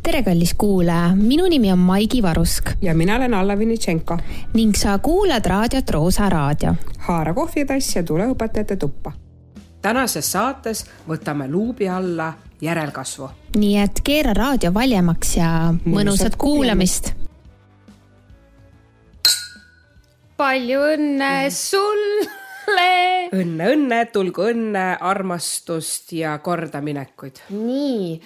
Tere kallis kuulaja, minu nimi on Maigi Varusk. Ja mina olen Alla Vinitšenko. Ning sa kuulad raadiot Roosa Raadio. Haara kohvitass ja tule õpetajate tuppa. Tänases saates võtame luubi alla järelkasvu. Nii et keera raadio valjemaks ja mõnusat kuulamist. Palju õnne sulle! Õnne, tulgu õnne, armastust ja kordaminekuid. Nii,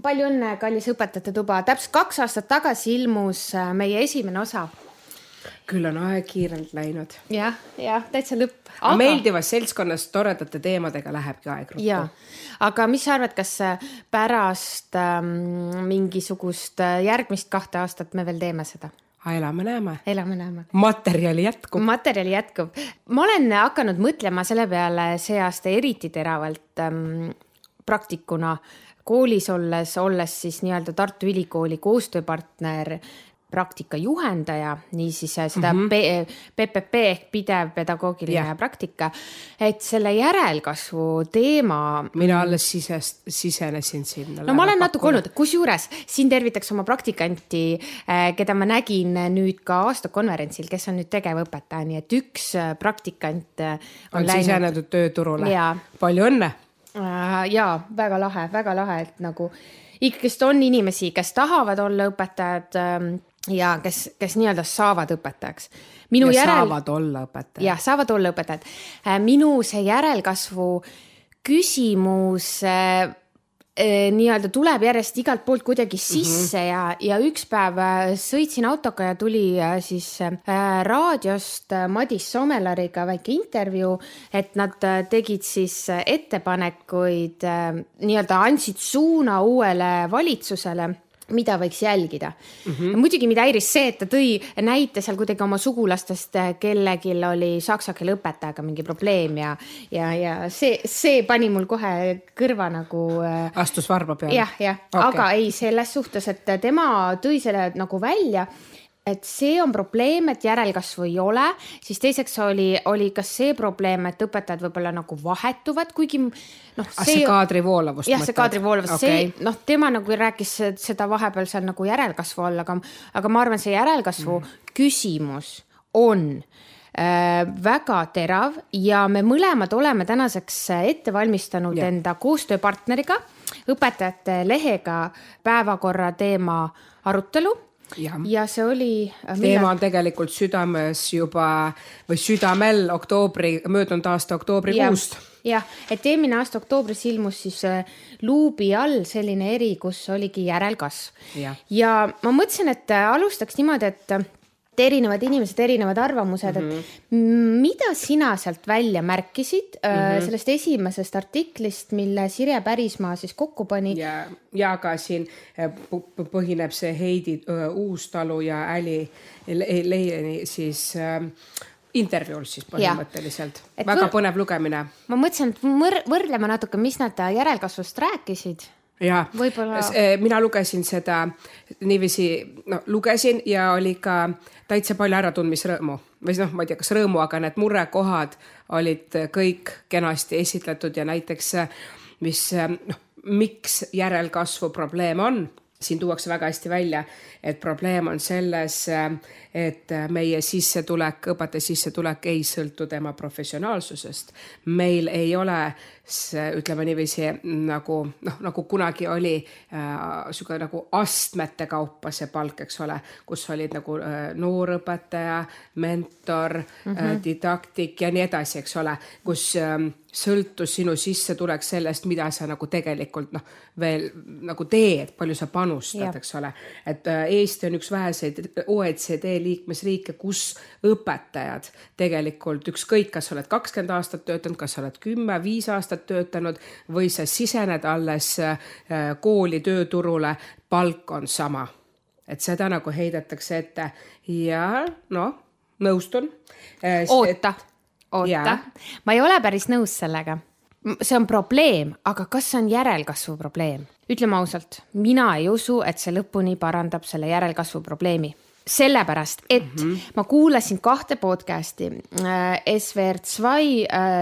palju õnne, kallis õpetajate tuba. Täpselt 2 aastat tagasi ilmus meie esimene osa. Küll on aeg kiirelt läinud. Jah, täitsa lõpp. Aga meeldivas seltskonnas toredate teemadega lähebki aeg ruttu. Ja, aga mis sa arvad, kas pärast mingisugust järgmist 2 aastat me veel teeme seda? Elame näeme. Materjali jätkub. Ma olen hakanud mõtlema selle peale see aasta eriti teravalt praktikuna koolis olles siis nii-öelda Tartu Ülikooli koostööpartner praktika juhendaja, niisiis seda PPP ehk pidev pedagoogiline praktika, et selle järelkasvu teema... Mina alles sisenesin sinna. No ma olen natuke olnud, kusjuures siin tervitaks oma praktikanti, keda ma nägin nüüd ka aastakonverentsil, kes on nüüd tegevõpetaja, nii et üks praktikant on sisenenud tööturule. Palju õnne! Jaa, väga lahe, et nagu ikkest on inimesi, kes tahavad olla õpetajad ja kes nii-öelda saavad õpetajaks. Saavad olla õpetajad. Jah, saavad olla õpetajad. Minu see järelkasvu küsimus nii-öelda tuleb järjest igalt poolt kuidagi sisse ja üks päev sõitsin autoga ja tuli siis raadiost Madis Somelariga väike intervjuu, et nad tegid siis ettepanekuid, nii-öelda andsid suuna uuele valitsusele, mida võiks jälgida. Muidugi mida häiris see, et ta tõi näite seal kuidagi oma sugulastest, kellegil oli saksa keele õpetajaga mingi probleem ja see pani mul kohe kõrva nagu... Astus varba peale? Jah, okay. Aga ei selles suhtes, et tema tõi selle nagu välja, et see on probleem, et järelkasvu ei ole, siis teiseks oli ka see probleem, et õpetajad võib-olla nagu vahetuvad, kuigi see kaadrivoolavust. Jah, see kaadrivoolavust. Okay. Tema nagu rääkis seda vahepeal seal nagu järelkasvu all, aga ma arvan, see järelkasvu küsimus on väga terav ja me mõlemad oleme tänaseks ette valmistanud enda koostööpartneriga, õpetajate lehega päevakorra teema arutelu. Ja see oli... Teema on tegelikult südames juba või südamel möödunud aasta oktoobrikuust. Jah, et eelmine aasta oktoobris ilmus siis luubi all selline eri, kus oligi järelkasv. Ja ma mõtlesin, et alustaks niimoodi, et erinevad inimesed, erinevad arvamused, et mida sina sealt välja märkisid sellest esimesest artiklist, mille Sirje Pärismaa siis kokku pani? Ja ka siin põhineb see Heidi Uustalu ja Äli Leieni siis intervjuul siis põhimõtteliselt. Väga põnev lugemine. Ma mõtlesin, et võrdlema natuke, mis nad järelkasvust rääkisid. Ja, mina lugesin seda niiviisi, lugesin ja oli ka täitsa palju äratundmisrõõmu. Või ma ei tea, kas rõõmu, aga need murekohad olid kõik kenasti esitletud ja näiteks, miks järelkasvu probleem on. Siin tuuakse väga hästi välja, et probleem on selles, et meie sissetulek, õpetaja sissetulek ei sõltu tema professionaalsusest. Meil ei ole, ütleme niiviisi, nagu kunagi oli nagu astmete kaupa see palk, eks ole, kus olid nagu noorõpetaja, mentor, didaktik ja nii edasi, eks ole, kus sõltus sinu sissetulek sellest, mida sa nagu tegelikult veel nagu teed, palju sa panustad, eks ole. Et Eesti on üks väheseid OECD liikmesriike, kus õpetajad tegelikult ükskõik, kas oled 20 aastat töötanud, kas oled 10-5 aastat töötanud või sa sisened alles kooli tööturule, palk on sama. Et seda nagu heidetakse ette ja nõustun. Oota. Ma ei ole päris nõus sellega. See on probleem, aga kas see on järelkasvu probleem? Ütleme ausalt, mina ei usu, et see lõpuni parandab selle järelkasvu probleemi. sellepärast, et ma kuulasin 2 podcasti. SWR2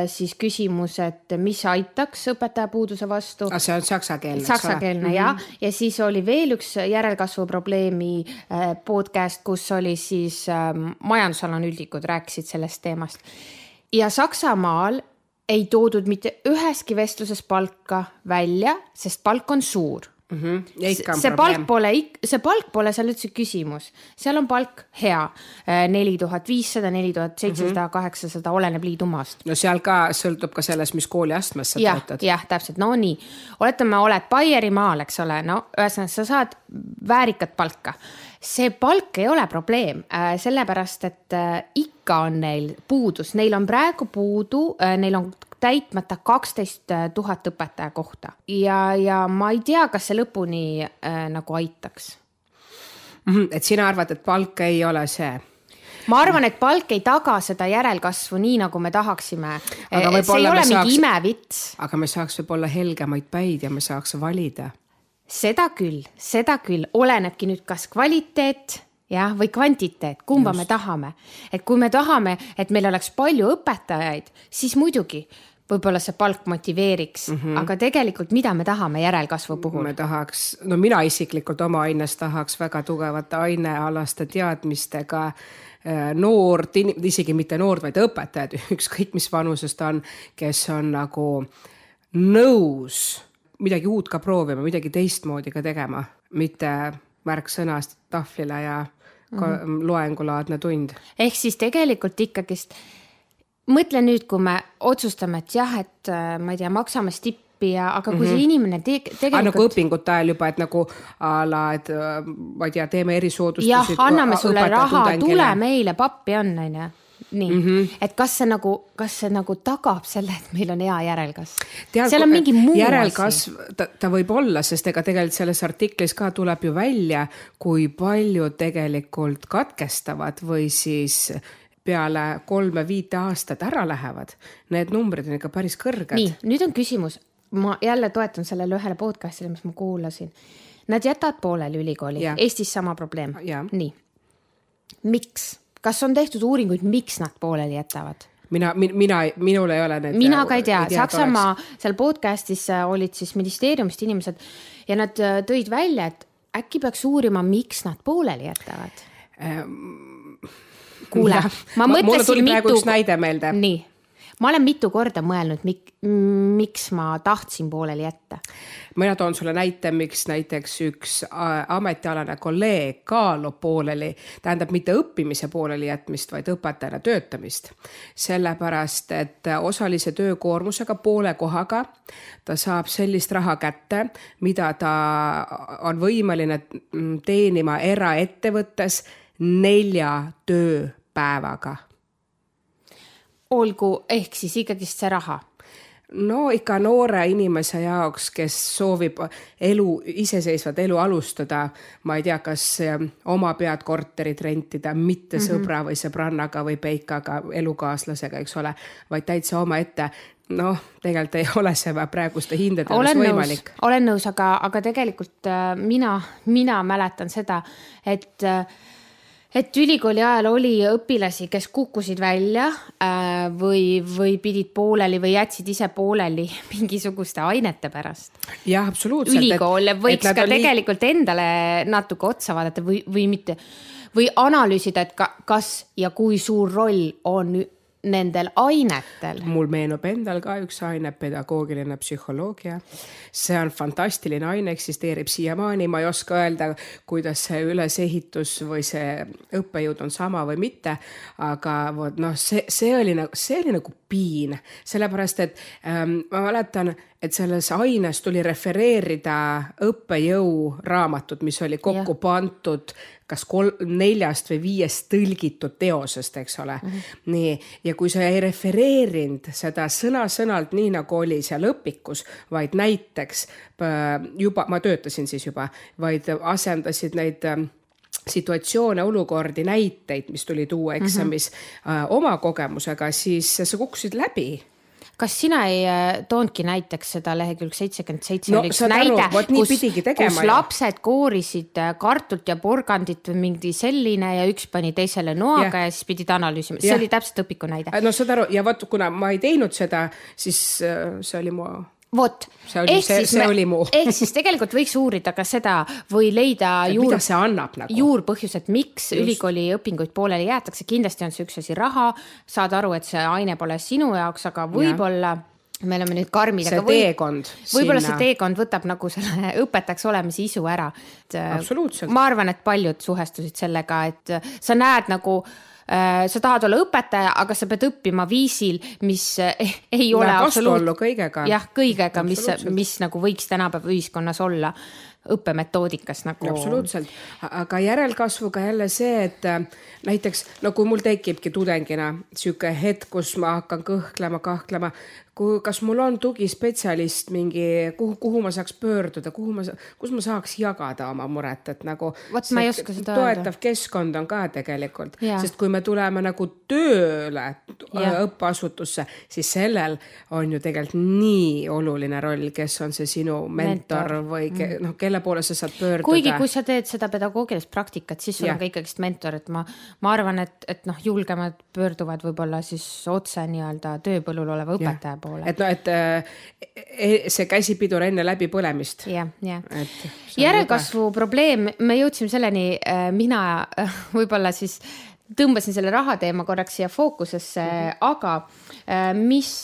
siis küsimus, et mis aitaks õpetajapuuduse vastu. See on saksakeelne. Saksakeelne, ja siis oli veel üks järelkasvu probleemi podcast, kus oli siis majandusanalüütikud rääkisid sellest teemast. Ja Saksamaal ei toodud mitte üheski vestluses palka välja, sest palk on suur. See palk pole seal üldse küsimus. Seal on palk hea. 4500, 4700, 800, oleneb liidumaast. No seal ka sõltub ka selles, mis kooli astmes sa töötad. Jah, täpselt. No nii. Oletame, oled Baierimaal, eks ole. No, ühesõnaga, sa saad väärikat palka. See palk ei ole probleem, sellepärast, et ikka on neil puudus. Neil on praegu puudu, neil on täitmata 12 000 õpetaja kohta. Ja ma ei tea, kas see lõpuni nagu aitaks. Et sina arvad, et palk ei ole see? Ma arvan, et palk ei taga seda järelkasvu nii, nagu me tahaksime. See ei ole mingi imevits. Aga me saaks võib-olla helgemaid päid ja me saaks valida. Seda küll. Olenebki nüüd kas kvaliteet või kvantiteet, kumba me tahame. Et kui me tahame, et meil oleks palju õpetajaid, siis muidugi võib-olla see palk motiveeriks, aga tegelikult mida me tahame järelkasvu puhul? Mina isiklikult oma aines tahaks väga tugevate ainealaste teadmistega noort, isegi mitte noort, vaid õpetajad, ükskõik mis vanusest on, kes on nagu nõus midagi uut ka proovima, midagi teistmoodi ka tegema, mitte märksõnast tahvlile ja loengulaadne tund. Ehk siis tegelikult ikkagist mõtle nüüd, kui me otsustame, et jah, et ma ei tea, maksame stippi, aga kui see inimene tegelikult... Nagu õpingute ajal juba, et nagu et ma ei tea, teeme erisoodustusi. Jah, anname sulle raha, tule meile, pappi on. Nii, et kas see nagu tagab selle, et meil on hea järelkasv? Seal on mingi muu järelkasv, ta võib olla, sest ega tegelikult selles artiklis ka tuleb ju välja, kui palju tegelikult katkestavad või siis peale 3-5 aastat ära lähevad. Need numbrid on ikka päris kõrged. Nii, nüüd on küsimus. Ma jälle toetan sellele ühele podcastile, mis ma kuulasin. Nad jätavad pooleli ülikooli. Eestis sama probleem. Nii. Miks? Kas on tehtud uuringuid, miks nad pooleli jätavad? Minul ei ole need... Mina ka ei tea. Saksamaa seal podcastis olid siis ministeeriumist inimesed ja nad tõid välja, et äkki peaks uurima, miks nad pooleli jätavad. Kuule, ma mõtlesin Nii. Ma olen mitu korda mõelnud, miks ma tahtsin pooleli jätta. Mina toon sulle näite, miks näiteks üks ametialane kolleeg kaalub pooleli, tähendab mitte õppimise pooleli jätmist, vaid õpetajana töötamist. Sellepärast, et osalise töökoormusega poole kohaga ta saab sellist raha kätte, mida ta on võimeline teenima eraettevõttes 4 tööpäevaga. Olgu, ehk siis ikkagist see raha? No ikka noore inimese jaoks, kes soovib iseseisvat elu alustada, ma ei tea, kas oma pead korterit rentida, mitte sõbra või sõbrannaga või peikaga, elukaaslasega, eks ole, vaid täitsa oma ette. Tegelikult ei ole see praeguste hindades võimalik. Olen nõus, aga tegelikult mina mäletan seda, et ülikooli ajal oli õpilasi, kes kukkusid välja või pidid pooleli või jätsid ise pooleli mingisuguste ainete pärast. Jah, absoluutselt. Ülikool võiks ka tegelikult endale natuke otsa vaadata või mitte, või analüüsida, et kas ja kui suur roll on nendel ainetel. Mul meenub endal ka üks aine, pedagoogiline psühholoogia. See on fantastiline aine, eksisteerib siiamaani. Ma ei oska öelda, kuidas see ülesehitus või see õppejõud on sama või mitte, aga see oli nagu piin. Sellepärast, et ma mäletan, et selles aines tuli refereerida õppejõu raamatut, mis oli kokku pandud kas 4 või 5 tõlgitud teosest, eks ole. Nii, ja kui sa ei refereerinud seda sõna-sõnalt nii, nagu oli seal õpikus, vaid näiteks juba, ma töötasin siis juba, vaid asendasid neid situatsioone, olukordi, näiteid, mis tuli tuua eksamis oma kogemusega, siis sa kukkusid läbi. kas sina ei toonudki näiteks seda lehekülg 77 No, oli üks saad aru, näide, vot nii pidigi tegema, kus ju. lapsed koorisid kartult ja porgandit või mingi selline ja üks pani teisele noaga ja siis pidid analüüsima. See oli täpselt õpiku näide. No saad aru, ja vot kuna ma ei teinud seda, siis see oli mu... Vot, see oli muu. Ehk siis tegelikult võiks uurida ka seda või leida mida see annab nagu? juurpõhjused, miks ülikooli õpinguid pooleli jäetakse. Kindlasti on see üks asi raha, saad aru, et see aine pole sinu jaoks, aga võib-olla me oleme nüüd karmid. See teekond. Võib-olla see teekond võtab nagu selle õpetajaks olemise isu ära. Absoluutselt. Ma arvan, et paljud suhestusid sellega, et sa näed nagu... sa tahad olla õpetaja, aga sa pead õppima viisil, mis ei ole absoluutselt kõigega. Jah, kõigega, mis nagu võiks tänapäeva ühiskonnas olla õppemetoodikas nagu. Absoluutselt, aga järelkasvuga jälle see, et näiteks, no kui mul tekibki tudengina siuke hetk, kus ma hakkan kahtlema, kas mul on tugispetsialist mingi, kuhu ma saaks pöörduda, kus ma saaks jagada oma muret, et nagu ma ei oska seda toetav keskkond on ka tegelikult, sest kui me tuleme nagu tööle õppeasutusse, siis sellel on ju tegelikult nii oluline roll, kes on see sinu mentor või kelle poole sa saad pöörduda. Kuigi kui sa teed seda pedagoogilist praktikat, siis sul on ka ikkagist mentor, et ma arvan, et julgemad pöörduvad võib-olla siis otse nii-öelda tööpõllul oleva õpetaja poole. Et see käsipidur enne läbi põlemist. Järelkasvu probleem, me jõudsime selleni, mina võib-olla siis tõmbasin selle rahateema korraks siia fookusesse, aga mis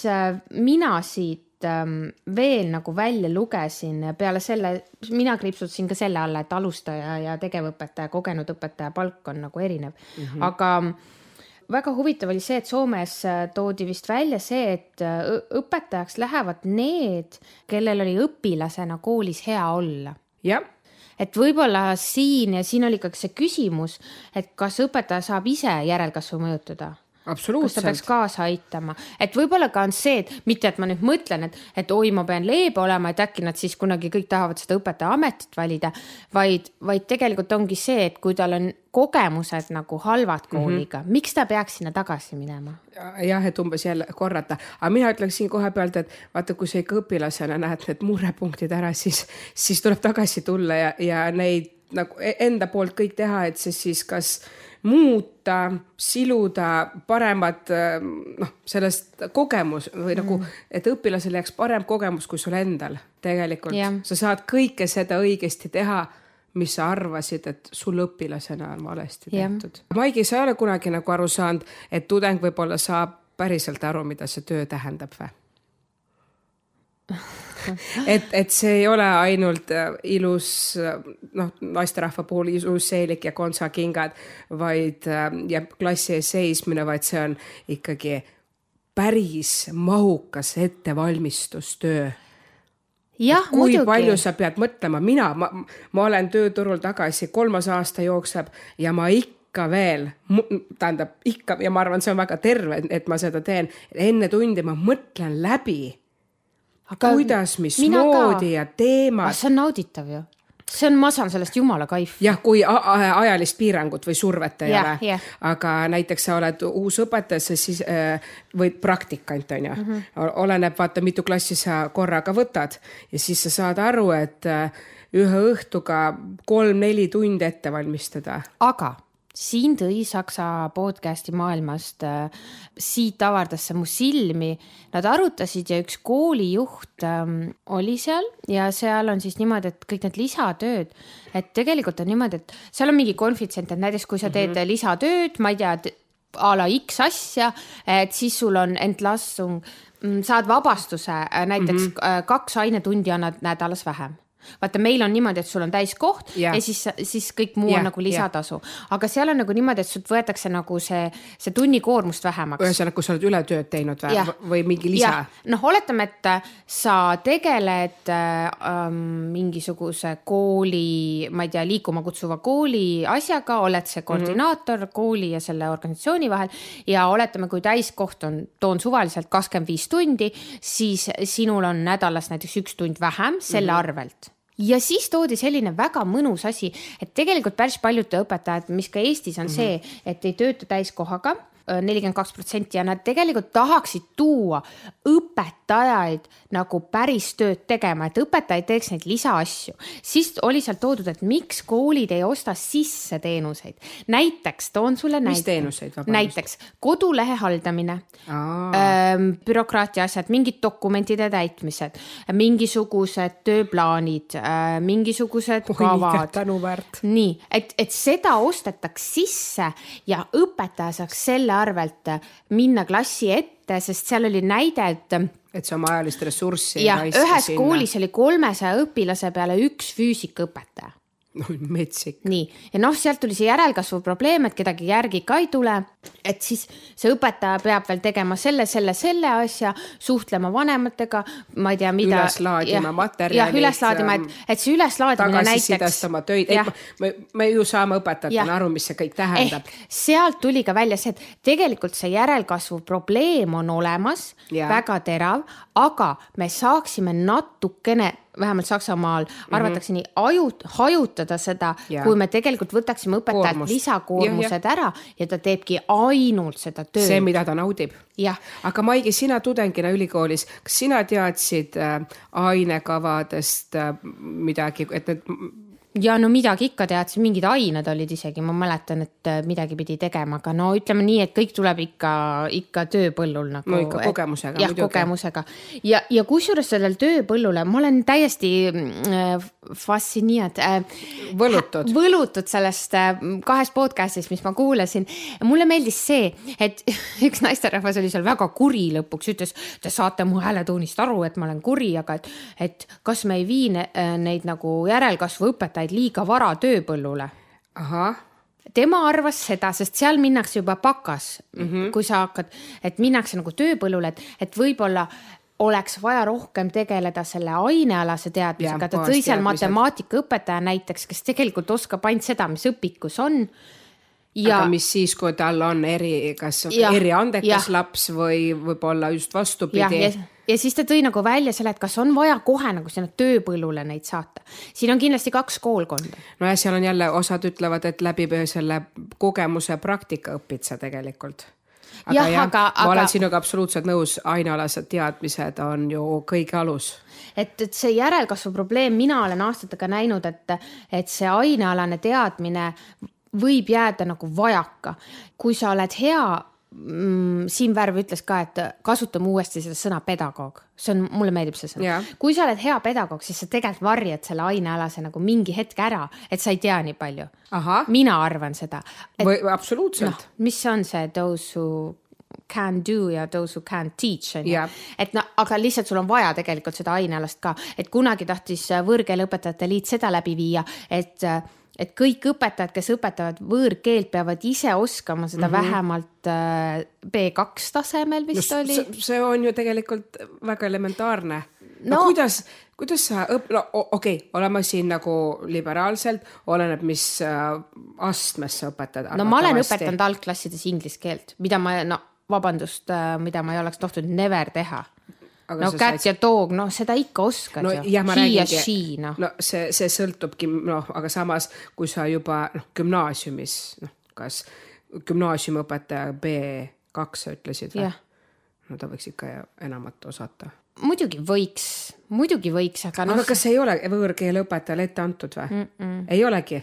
mina siit veel nagu välja lugesin peale selle, mina kriipsutasin ka selle alla, et alustaja ja tegevõpetaja, kogenud õpetaja palk on nagu erinev. Aga väga huvitav oli see, et Soomes toodi vist välja see, et õpetajaks lähevad need, kellel oli õpilasena koolis hea olla. Jah. Et võib-olla siin oli ka see küsimus, et kas õpetaja saab ise järelkasvu mõjutada? Kas ta peaks kaasa aitama? Et võib-olla ka on see, et mitte, et ma nüüd mõtlen, et oi, ma pean leebe olema, et äkki nad siis kunagi kõik tahavad seda õpetaja ametit valida, vaid tegelikult ongi see, et kui tal on kogemused nagu halvad kooliga, miks ta peaks sinna tagasi minema? Jah, et umbes jälle korrata. Aga mina ütleksin kohe pealt, et vaata, kui sa ikka õpilasena näed need murepunktid ära, siis tuleb tagasi tulla ja neid nagu enda poolt kõik teha, et see siis kas muuta, siluda paremat sellest kogemus või nagu, et õpilasel jääks parem kogemus kui sul endal tegelikult. Sa saad kõike seda õigesti teha, mis sa arvasid, et sul õpilasena on valesti tehtud. Maigi, sa ei ole kunagi nagu aru saanud, et tudeng võib-olla saab päriselt aru, mida see töö tähendab või? Et see ei ole ainult ilus, naisterahva puhul ilus seelik ja kontsakingad, vaid ja klassi ees seismine, vaid see on ikkagi päris mahukas ettevalmistustöö. Jah, kui muidugi. Palju sa pead mõtlema, ma olen tööturul tagasi 3. aasta jookseb ja ma ikka veel, ja ma arvan, see on väga terve, et ma seda teen, enne tundi ma mõtlen läbi, aga kuidas, mis moodi ja teemad. See on nauditav ju. Ma saan sellest jumala kaif. Jah, kui ajalist piirangut või survet ei ole. Aga näiteks sa oled uus õpetaja, siis või praktikant on ju. Oleneb, vaata, mitu klassi sa korraga võtad ja siis sa saad aru, et ühe õhtuga 3-4 tundi ette valmistada. Aga siin tõi Saksa podcasti maailmast, siit avardas see mu silmi. Nad arutasid ja üks koolijuht oli seal ja seal on siis niimoodi, et kõik need lisatööd, et tegelikult on niimoodi, et seal on mingi konfitsent, et näiteks kui sa teed lisatööd, ma ei tea, a la X asja, et siis sul on entlassung, saad vabastuse, näiteks 2 ainetundi annad nädalas vähem. Vaata, meil on niimoodi, et sul on täiskoht ja siis kõik muu on nagu lisatasu. Aga seal on nagu niimoodi, et sult võetakse nagu see tunnikoormust vähemaks. Ühesõnaga, kui sa oled ületööd teinud või mingi lisa? Oletame, et sa tegeled mingisuguse kooli, ma ei tea, liikuma kutsuva kooli asjaga, oled see koordinaator kooli ja selle organisatsiooni vahel ja oletame, kui täiskoht toon suvaliselt 25 tundi, siis sinul on nädalas näiteks 1 tund vähem selle arvelt. Ja siis toodi selline väga mõnus asi, et tegelikult päris paljud õpetajad, mis ka Eestis on see, et ei tööta täiskohaga, 42% ja nad tegelikult tahaksid tuua õpetajaid nagu päris tööd tegema, et õpetajaid teeks neid lisaasju. Siis oli seal toodud, et miks koolid ei osta sisse teenuseid. Näiteks, toon sulle mis teenuseid? Näiteks kodulehe haldamine, bürokraatia asjad, mingid dokumentide täitmised, mingisugused tööplaanid, mingisugused kavad. Nii, et seda ostetaks sisse ja õpetaja saaks selle arvelt minna klassi ette, sest seal oli näide, et see oma ajalist ressurssi ja ühes koolis oli 300 õpilase peale üks füüsikaõpetaja. No, metsik. Nii, ja sealt tuli see järelkasvu probleem, et kedagi järgi ka ei tule, et siis see õpetaja peab veel tegema selle asja, suhtlema vanematega, ma ei tea, mida. Üleslaadima materjalid. Jah, üleslaadima, et see üleslaadimine näiteks. Tagasisidestama töid. Me ju saame õpetajatena aru, mis see kõik tähendab. Sealt tuli ka välja see, et tegelikult see järelkasvu probleem on olemas, väga terav, aga me saaksime natukene vähemalt Saksamaal arvatakse nii hajutada seda, kui me tegelikult võtaksime õpetajalt lisakoormused ära ja ta teebki ainult seda tööd. See, mida ta naudib. Ja. Aga Maigi, sina tudengina ülikoolis, kas sina teadsid ainekavadest midagi, et need... Ja no midagi ikka teadsin, mingid ained olid isegi, ma mäletan, et midagi pidi tegema, aga no ütleme nii, et kõik tuleb ikka tööpõllul. Nagu, no ikka kogemusega. Jah, kogemusega. Ja kusjuures sellel tööpõllule, ma olen täiesti fascineeritud. Võlutud sellest 2 podcastist, mis ma kuulasin. Mulle meeldis see, et üks naisterahvas oli seal väga kuri lõpuks, ütles, te saate mu hääletoonist aru, et ma olen kuri, aga et kas me ei vii neid nagu järelkasvu õpetajaid liiga vara tööpõllule. Aha. Tema arvas seda, sest seal minnakse juba pakas, kui sa hakkad, et minnakse nagu tööpõllule, et võib-olla oleks vaja rohkem tegeleda selle ainealase teadmisega. Ta tõi seal matemaatikaõpetaja näiteks, kes tegelikult oskab ainult seda, mis õpikus on. Aga mis siis, kui tal on eriandekas laps või võib-olla just vastupidi? Ja siis ta tõi nagu välja selle, et kas on vaja kohe nagu sinna tööpõllule neid saata. Siin on kindlasti 2 koolkonda. No ja seal on jälle osad ütlevad, et läbi selle kogemuse praktika õpid sa tegelikult. Aga ma olen sinuga absoluutselt nõus, ainealased teadmised on ju kõige alus. Et see järelkasvu probleem, mina olen aastatega näinud, et see ainealane teadmine võib jääda nagu vajaka. Kui sa oled hea, Siim Värv ütles ka, et kasutame uuesti seda sõna pedagoog. Mulle meeldib see sõna. Kui sa oled hea pedagoog, siis sa tegelikult varjad selle ainealase nagu mingi hetk ära, et sa ei tea nii palju. Aha. Mina arvan seda. Absoluutselt. Mis on see those who can do ja those who can teach. Et aga lihtsalt sul on vaja tegelikult seda ainealast ka. Et kunagi tahtis võõrkeeleõpetajate liit seda läbi viia, et kõik õpetajad, kes õpetavad võõrkeelt, peavad ise oskama seda vähemalt B2 tasemel vist oli. See on ju tegelikult väga elementaarne. Kuidas sa oleme siin nagu liberaalselt, oleneb mis astmes sa õpetad. Ma olen õpetanud algklassides inglise keelt, mida ma ei oleks tohtinud never teha. Kätt ja toog, seda ikka oskad ju. He ja she, see sõltubki, aga samas, kui sa juba gümnaasiumis, kas gümnaasiumõpetaja B2 sa ütlesid või? No ta võiks ikka enamat osata. Muidugi võiks, aga... Aga kas ei ole võõrkeeleõpetajale ette antud või? Ei olegi?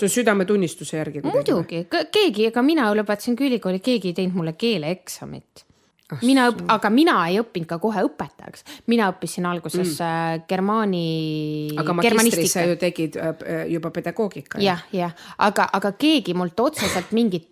Su südametunnistuse järgi? Muidugi, keegi, ega mina lõpetasin ülikooli, keegi ei teinud mulle keeleeksamit. Aga mina ei õppinud ka kohe õpetajaks. Mina õppisin alguses germanistika. Aga magistris sa ju tegid juba pedagoogika. Aga keegi mult otseselt mingit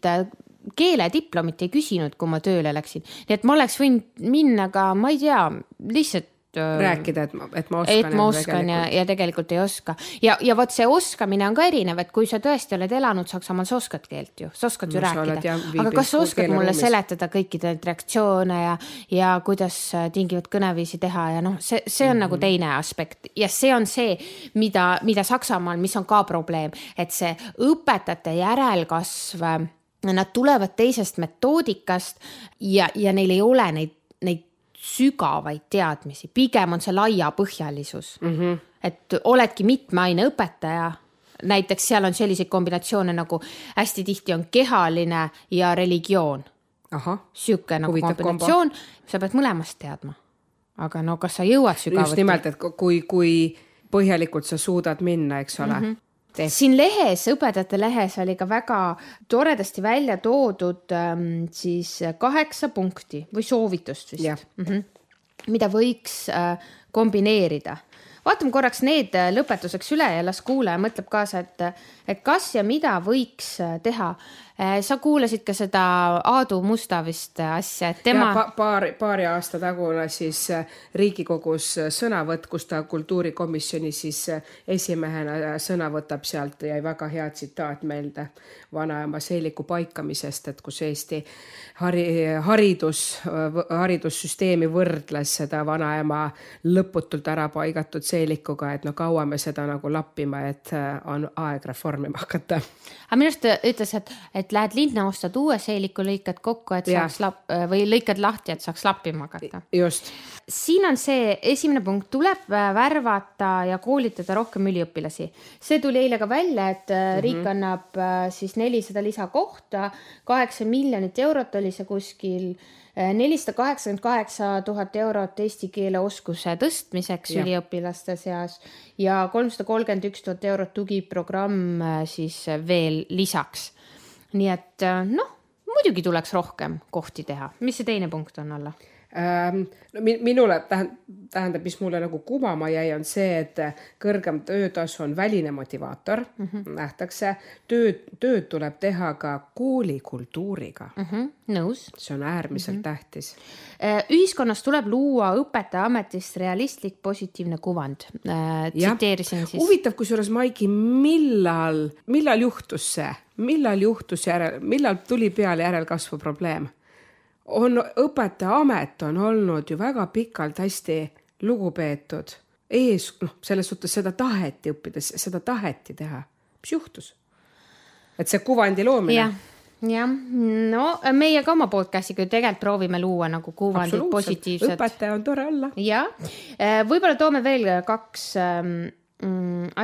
keelediplomit ei küsinud, kui ma tööle läksin. Nii et ma oleks võinud minna ka, ma ei tea, lihtsalt rääkida, et ma oskan ja tegelikult ei oska. Ja võt see oskamine on ka erinev, et kui sa tõesti oled elanud Saksamaal, sa oskad keelt ju, sa oskad ju rääkida. Aga kas sa oskad mulle seletada kõikide reaktsioone ja kuidas tingivad kõneviisi teha ja see on nagu teine aspekt. Ja see on see, mida Saksamaal, mis on ka probleem, et see õpetajate järelkasv, nad tulevad teisest metoodikast ja neil ei ole neid sügavaid teadmisi. Pigem on see laia põhjalisus. Et oledki mitme aine õpetaja. Näiteks seal on selliseid kombinatsioone nagu hästi tihti on kehaline ja religioon. Siuke nagu kombinatsioon, sa pead mõlemast teadma. Aga no kas sa jõuad sügavuti? Just nimelt, et kui põhjalikult sa suudad minna, eks ole. Siin lehes, õpetajate lehes oli ka väga toredasti välja toodud siis 8 punkti või soovitust vist, mida võiks kombineerida. Vaatame korraks need lõpetuseks üle ja las kuulaja mõtleb kaasa, et kas ja mida võiks teha. Sa kuulasid ka seda Aadu Musta vist asja, et tema... Paari aasta tagune siis Riigikogus sõnavõtt, kus ta kultuurikomisjoni siis esimehena sõna võtab sealt ja väga hea tsitaat meelde vanaema seeliku paikamisest, et kus Eesti haridussüsteemi võrdles seda vanaema lõputult ära paigatud seelikuga, et no kaua me seda nagu lappima, et on aeg reformima hakata. Aga minu arust ütles, et lähed linna ostad uue seeliku, lõikad kokku, et saaks või lõikad lahti, et saaks lappima hakata. Just. Siin on see esimene punkt, tuleb värvata ja koolitada rohkem üliõpilasi. See tuli eile ka välja, et riik annab siis 400 lisakohta, 8 miljonit eurot oli see kuskil, 488 000 eurot eesti keele oskuse tõstmiseks üliõpilaste seas ja 331 000 eurot tugiprogramm siis veel lisaks. Nii et muidugi tuleks rohkem kohti teha. Mis see teine punkt on alla? Minule tähendab, mis mulle nagu kumama jäi, on see, et kõrgem töötasu on väline motivaator, nähtakse. Tööd tuleb teha ka koolikultuuriga. Nõus. See on äärmiselt tähtis. Ühiskonnas tuleb luua õpetaja ametist realistlik positiivne kuvand. Tsiteerisin siis. Huvitav, kusjuures Maiki, millal juhtus see? Millal tuli peale järelkasvu probleem? Õpetaja amet on olnud ju väga pikalt hästi lugupeetud. Selles suhtes seda taheti õppides, seda taheti teha. Mis juhtus? Et see kuvandi loomine? Ja. No meie ka oma podcast'iga tegelikult proovime luua nagu kuvandid positiivsed. Õpetaja on tore olla. Ja. Võib-olla toome veel 2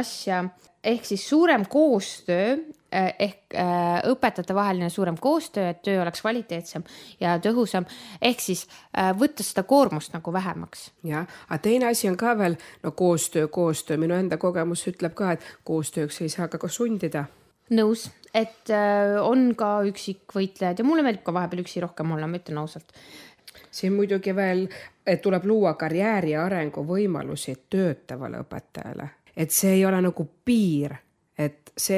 asja. Ehk siis suurem koostöö, ehk õpetajate vaheline suurem koostöö, et töö oleks kvaliteetsem ja tõhusam, ehk siis võtta seda koormust nagu vähemaks. Ja, aga teine asi on ka veel, koostöö. Minu enda kogemus ütleb ka, et koostööks ei saa ka sundida. Nõus, et on ka üksikvõitlejad ja mulle meeldib ka vahepeal üksi rohkem olla, ma ütlen ausalt. Siin muidugi veel, et tuleb luua karjääri ja arengu võimalusi töötavale õpetajale. Et see ei ole nagu piir, et sa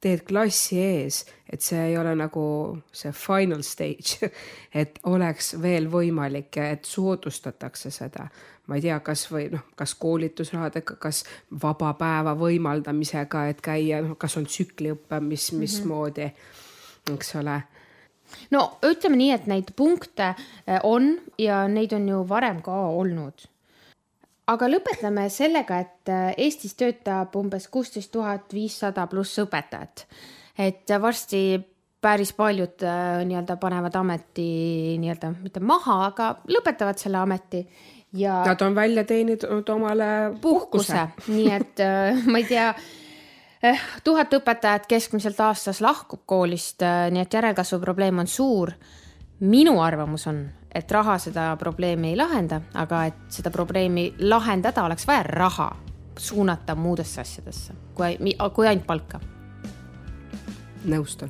teed klassi ees, et see ei ole nagu see final stage, et oleks veel võimalik, et soodustatakse seda. Ma ei tea, kas koolitusrahadega, kas vaba päeva võimaldamisega, et käia, kas on tsükliõppe, mismoodi, eks ole. No ütleme nii, et neid punkte on ja neid on ju varem ka olnud. Aga lõpetame sellega, et Eestis töötab umbes 16 500 pluss õpetajat. Et varsti päris paljud panevad ameti mitte maha, aga lõpetavad selle ameti. Ja nad on välja teeninud omale puhkuse. Nii et ma ei tea, 1000 õpetajat keskmiselt aastas lahkub koolist, nii et järelkasvu probleem on suur. Minu arvamus on, et raha seda probleemi ei lahenda, aga et seda probleemi lahendada oleks vaja raha suunata muudesse asjadesse, kui ainult palka. Nõustun.